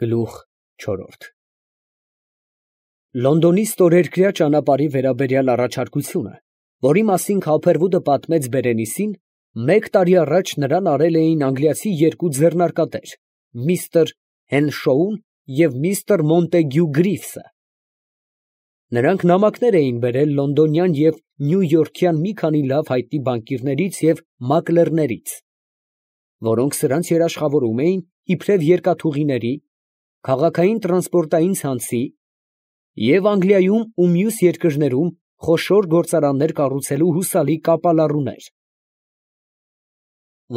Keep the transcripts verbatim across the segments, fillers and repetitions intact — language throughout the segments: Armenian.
Գլուխ չորրորդ Լոնդոնի ստորերկրյա ճանապարհի վերաբերյալ առաջարկությունը, որի մասին Քափերվուդը պատմեց Բերենիսին, մեկ տարի առաջ նրան արել էին անգլիացի երկու ձեռնարկատեր, միստր Հենշոուն և միստր Մոնտեգյու Գրիվսը։ Նրանք նամակներ էին բերել լոնդոնյան և նյույորքյան մի քանի լավ հայտնի բանկիրներից և մակլերներից, որոնք սրանց երաշխավորում էին իբրև երկաթուղիների, քաղաքային տրանսպորտային ցանցի և Անգլիայում ու մյուս երկրներում խոշոր գործարաններ կառուցելու հուսալի կապալառուներ։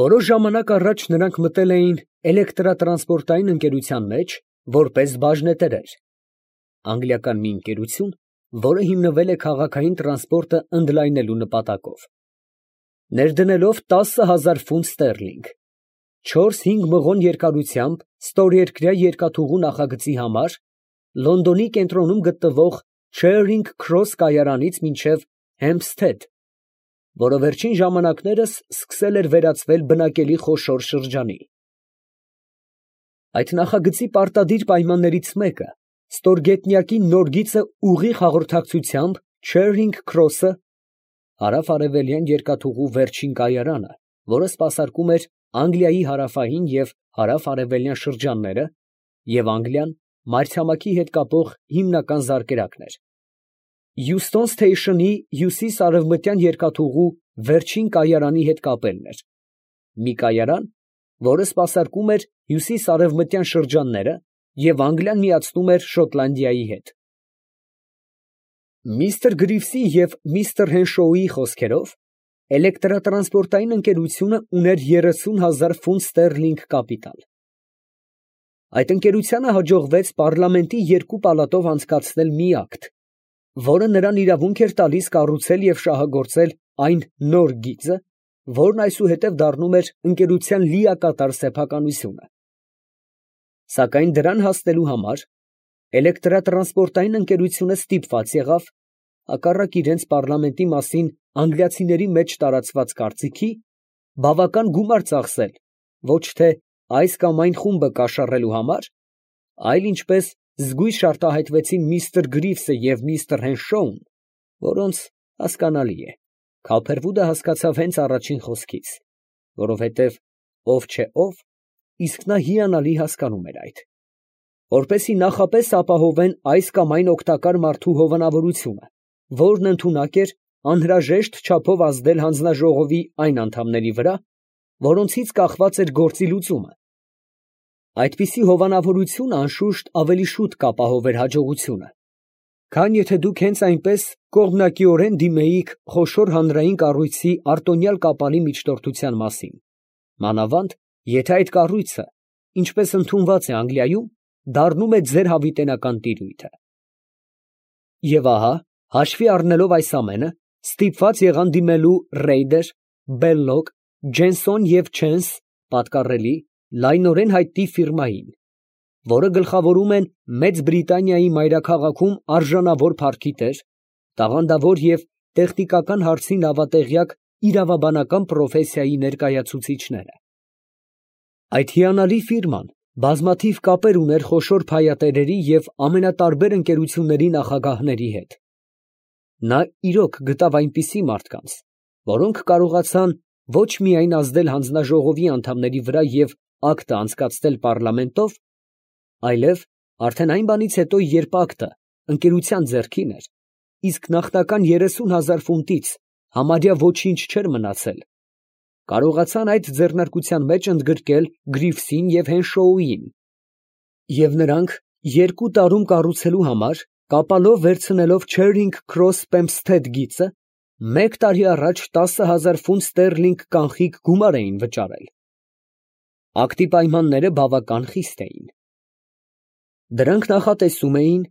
Որոշ ժամանակ առաջ նրանք մտել էին էլեկտրատրանսպորտային ընկերության մեջ, որպես բաժնետերեր, անգլիական մի ընկերություն, որը հիմնվել է քաղաքային տրանսպորտը ընդլայնելու նպատակով, ներդնելով տասը հազար ֆունտ ստերլինգ, չորս֊հինգ մղոն երկարությամբ ստորերկրյա երկաթուղու նախագծի համար Լոնդոնի կենտրոնում գտնվող Չերինգ Քրոս կայարանից մինչև Հեմփսթեդ, որը վերջին ժամանակներս սկսել էր վերածվել բնակելի խոշոր շրջանի։ Այդ նախագծի պարտադիր պայմաններից մեկը ստորգետնյակի նոր գիծը ուղիղ հաղորդակցությամբ Չերինգ Քրոսը հարավ֊արևելյան երկաթուղու վերջին կայարանը, որը սպասարկում էր Անգլիայի հարավային և հարավ֊արևելյան շրջանները և Անգլիան մայրցամաքի հետ կապող հիմնական զարկերակն էր, Euston Station-ի հյուսիս֊արևմտյան երկաթուղու վերջին կայարանի հետ կապելն էր, մի կայարան, որը սպասարկում էր հյուսիս֊արևմտյան շրջանները և Անգլիան միացնում էր Շոտլանդիայի հետ։ Միստր Գրիվսի և միստր Հենշոուի խոսքերով, էլեկտրատրանսպորտային ընկերությունը ուներ երեսուն հազար ֆունտ ստերլինգ կապիտալ։ Այդ ընկերությանը հաջողվեց պարլամենտի երկու պալատով անցկացնել մի ակտ, որը նրան իրավունք էր տալիս կառուցել և շահագործել այն նոր գիծը, որն այսուհետև դառնում էր ընկերության լիակատար սեփականությունը։ Սակայն դրան հասնելու համար էլեկտրատրանսպորտային ընկերությունը ստիպված եղավ, հակառակ իրենց պարլամենտի մասին անգլիացիների մեջ տարածված կարծիքի, բավական գումար ծախսել ոչ թե այս կամ այն խումբը կաշառելու համար, այլ ինչպես զգույշ արտահայտվեցին միստր Գրիվսը և միստր Հենշոուն, որոնց, հասկանալի է, Քափերվուդը հասկացավ հենց առաջին խոսքից, որովհետև ով չէ ով, իսկ նա հիանալի հասկանում էր այդ, որպեսզի նախապես ապահովեն այս կամ այն օգտակար մարդու հովանավորությունը, որն ընդունակ էր անհրաժեշտ չափով ազդել հանձնաժողովի այն անդամների վրա, որոնցից կախված էր գործի լուծումը։ Այդպիսի հովանավորությունը, անշուշտ, ավելի շուտ կապահովեր հաջողությունը, քան եթե դուք հենց այնպես կողմնակիորեն դիմեիք խոշոր հանրային կառույցի արտոնյալ կապալի միջնորդության մասին, մանավանդ, եթե այդ կառույցը, ինչպես ընդունված է Անգլիայում, դառնում է ձեր հավիտենական տիրույթը։ Եվ ահա, հաշվի առնելով այս ամենը, ստիպված եղան դիմելու Ռեյդեր, Բելլոկ, Ջենսոն և Չենս պատկառելի, լայնորեն հայտնի ֆիրմային, որը գլխավորում են Մեծ Բրիտանիայի մայրաքաղաքում արժանավոր փառքի տեր, տաղանդավոր և տեխնիկական հարցի նավատեղյակ իրավաբանական պրոֆեսիայի ներկայացուցիչները։ Այդ հիանալի ֆիրման բազմաթիվ կապեր ուներ խոշոր փայատերերի և ամենատարբեր ընկերությունների նախագահների հետ։ Նա իրոք գտավ այնպիսի մարդկանց, որոնք կարողացան ոչ միայն ազդել հանձնաժողովի անդամների վրա և ակտը անցկացնել պարլամենտով, այլև արդեն այն բանից հետո, երբ ակտը ընկերության ձեռքին էր, իսկ նախնական երեսուն հազար ֆունտից համարյա ոչինչ չէր մնացել, կարողացան այդ ձեռնարկության մեջ ընդգրկել Գրիվսին և Հենշոուին, և նրանք երկու տարում կառուցելու համար, կապալով վերցնելով Չերինգ Քրոս Պեմփսթեդ գիծը, մեկ տարի առաջ տասը հազար ֆունտ ստերլինգ կանխիկ գումար էին վճարել։ Ակտի պայմանները բավական խիստ էին։ Դրանք նախատեսում էին,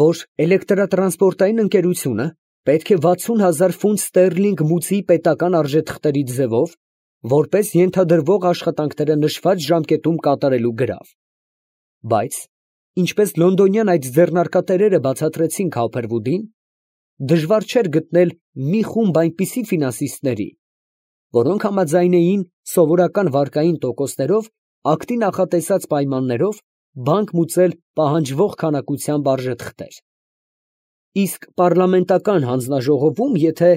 որ էլեկտրատրանսպորտային ընկերությունը պետք է վաթսուն հազար ֆունտ ստերլինգ մուծի պետական արժեթղթերի ձևով, որպես ենթադրվող աշխատանքները նշված ժամկետում կատարելու գրավ, բայց, ինչպես լոնդոնյան այդ ձեռնարկատերերը բացատրեցին Քափերվուդին, դժվար չէր գտնել մի խումբ այնպիսի ֆինանսիստների, որոնք համաձայն էին սովորական վարկային տոկոսներով ակտի նախատեսած պայմաններով բանկ մուծել պահանջվող քանակությամբ արժեթղթեր։ Իսկ պառլամենտական հանձնաժողովում, եթե,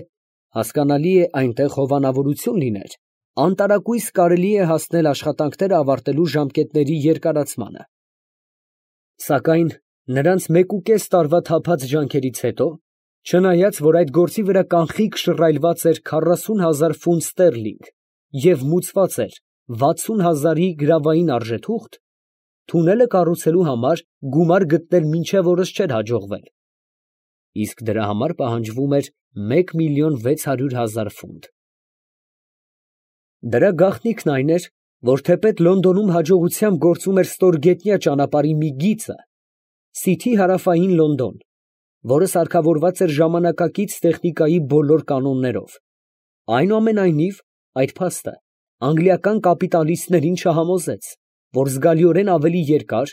հասկանալի է, այնտեղ հովանավորություն լիներ, անտարակույս կարելի է հասնել աշխատանքները ավարտելու ժամկետների երկարացմանը։ Սակայն նրանց մեկուկես տարվա թափած ջանքերից հետո, չնայած որ այդ գործի վրա կանխիկ շռայլված էր քառասուն հազար ֆունտ ստերլինգ և մուծված էր վաթսուն հազարի գրավային արժեթուղթ, թունելը կառուցելու համար գումար գտնել մինչև օրս չէր հաջողվել, իսկ դրա համար պահանջվում էր մեկ միլիոն վեց հարյուր հազար ֆունտ։ Դրա գաղտնիքն այն էր, որ թեպետ Լոնդոնում հաջողությամբ գործում էր ստորգետնյա ճանապարհի մի գիծը, Սիթի հարավային Լոնդոն, որը սարքավորված էր ժամանակակից տեխնիկայի բոլոր կանոններով, այնուամենայնիվ այդ փաստը անգլիական կապիտալիստներին չհամոզեց, որ զգալիորեն ավելի երկար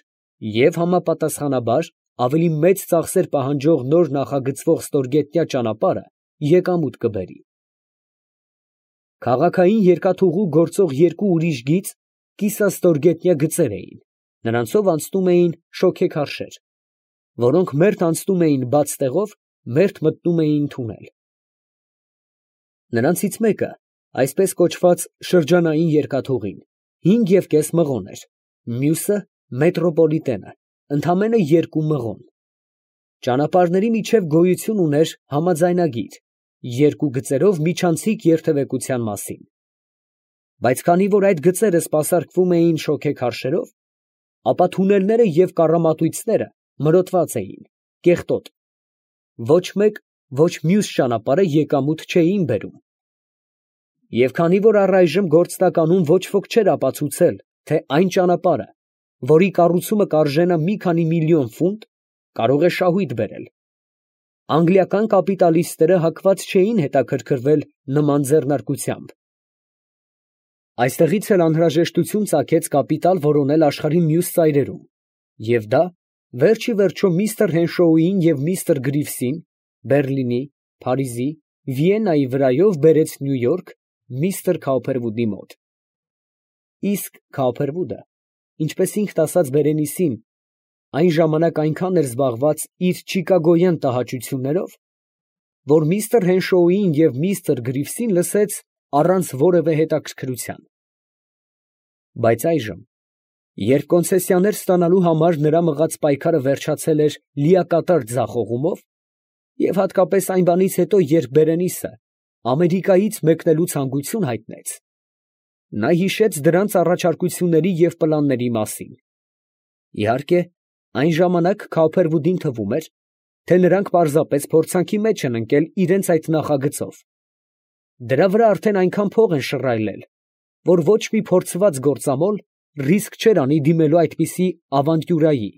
և համապատասխանաբար ավելի մեծ ծախսեր պահանջող նոր նախագծվող ստորգետնյա ճանապարհը եկամուտ կբերի։ Քաղաքային երկաթուղու գործող երկու ուրիշ գիծ կիսաստորգետնյա գծեր էին, նրանցով անցնում էին շոգեքարշեր, որոնք մերթ անցնում էին բաց տեղով, մերթ մտնում էին թունել։ Նրանցից մեկը, այսպես կոչված շրջանային երկաթուղին, հինգ և կես մղոն էր, մյուսը մետրոպոլիտենը, ընդամենը երկու մղոն։ Ճանապարհների միջև գոյություն ուներ համաձայնագիր երկու գծերով միջանցիկ երթևեկության մասին, բայց քանի որ այդ գծերը սպասարկվում էին շոգեքարշերով, ապա թունելները և կառամատույցները մրոտված էին, կեղտոտ, ոչ մեկ, ոչ մյուս ճանապարհը եկամուտ չէին բերում։ Եվ քանի որ առայժմ գործնականում ոչ ոք չէր ապացուցել, թե այն ճանապարհը, որի կառուցումը կարժենա մի քանի միլիոն ֆունտ, կարող է շահույթ բերել, անգլիական կապիտալիստները հակված չէին հետաքրքրվել նման ձեռնարկությամբ։ Այստեղից էլ անհրաժեշտություն ծագեց կապիտալ որոնել աշխարհի մյուս ծայրերում, և դա վերջիվերջո միստր Հենշոուին և միստր Գրիվսին Բեռլինի, Փարիզի, Վիեննայի վրայով բերեց Նյու Յորք միստր Քաուփերվուդի մոտ։ Իսկ Քաուփերվուդը, ինչպես ինքն ասաց Բերենիսին, այն ժամանակ այնքան էր զբաղված իր չիկագոյան տհաճություններով, որ միստր Հենշոուին և միստր Գրիվսին լսեց առանց որևէ հետաքրքրության։ Բայց այժմ, երբ կոնցեսիաներ ստանալու համար նրա մղած պայքարը վերջացել էր լիակատար ձախողումով, և հատկապես այն բանից հետո, երբ Բերենիսը Ամերիկայից մեկնելու ցանկություն հայտնեց, նա հիշեց դրանց առաջարկությունների և պլանների մասին։ Իհարկե, այն ժամանակ Քաուփերվուդին թվում էր, թե նրանք պարզապես փորձանքի մեջ են ընկել իրենց այդ նախագծով. դրա վրա արդեն այնքան փող են շռայլել, որ ոչ մի փորձված գործամոլ ռիսկ չէր անի դիմելու այդպիսի ավանտյուրայի,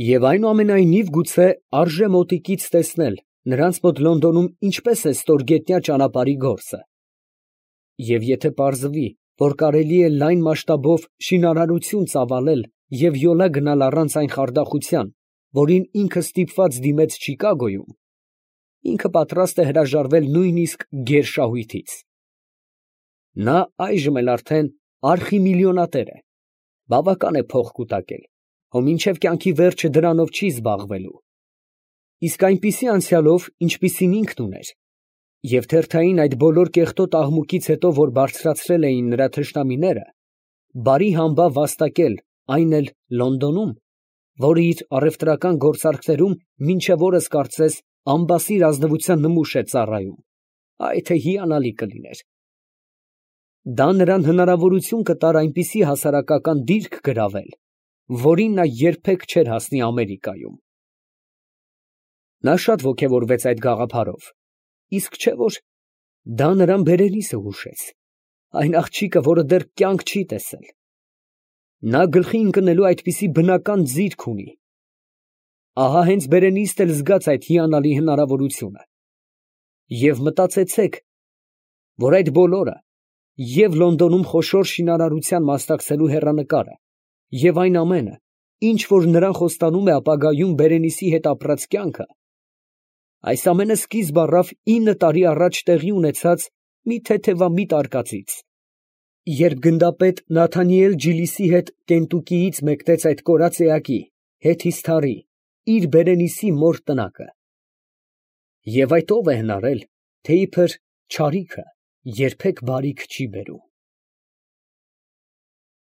և այնուամենայնիվ գուցե արժե մոտիկից տեսնել նրանց մոտ Լոնդոնում ինչպես է ստորգետնյա ճանապարհի գործը։ Եվ եթե պարզվի, որ կարելի է լայն մասշտաբով շինարարություն ծավալել և յոլա գնալ առանց այն խարդախության, որին ինքը ստիպված դիմեց Չիկագոյում, ինքը պատրաստ է հրաժարվել նույնիսկ գերշահույթից։ Նա այժմ էլ արդեն արխիմիլիոնատեր է, բավական է փող կուտակել, հո մինչև կյանքի վերջը դրանով չի զբաղվելու։ Իսկ այնպիսի անցյալով, ինչպիսին ինքն ուներ, և թերթային այդ բոլոր կեղտոտ աղմուկից հետո, որ բարձրացրել էին նրա թշնամիները, բարի համբավ վաստակել, այն էլ Լոնդոնում, որը իր առևտրական գործարքներում մինչև օրս կարծես անբասիր ազնվության նմուշ է ծառայում, այ թե հիանալի կլիներ։ Դա նրան հնարավորություն կտար այնպիսի հասարակական դիրք գրավել, որին նա երբեք չէր հասնի Ամերիկայում։ Նա շատ ոգևորվեց այդ գաղափարով, իսկ չէ՞ որ դա նրան Բերենիսը հուշեց, այն աղջիկը, որը դեռ կյանք չի տեսել։ Նա գլխի ընկնելու այդպիսի բնական ձիրք ունի։ Ահա հենց Բերենիսն էլ զգաց այդ հիանալի հնարավորությունը։ Եվ մտածեցեք, որ այդ բոլորը, և Լոնդոնում խոշոր շինարարության մասնակցելու հեռանկարը, և այն ամենը, ինչ որ նրան խոստանում է ապագայում Բերենիսի հետ ապրած կյանքը, այս ամենը սկիզբ առավ ինը տարի առաջ տեղի ունեցած մի թեթևամիտ արկածից, Երբ գնդապետ Նաթանիել Ջիլիսի հետ Կենտուկիից մեկնեց այդ կորած էակի, Հեթիսթարի, իր բերենիցի մոր տնակը։ Եվ այդ ո՞վ է հնարել, թե իբր չարիքը երբեք բարիք չի բերում։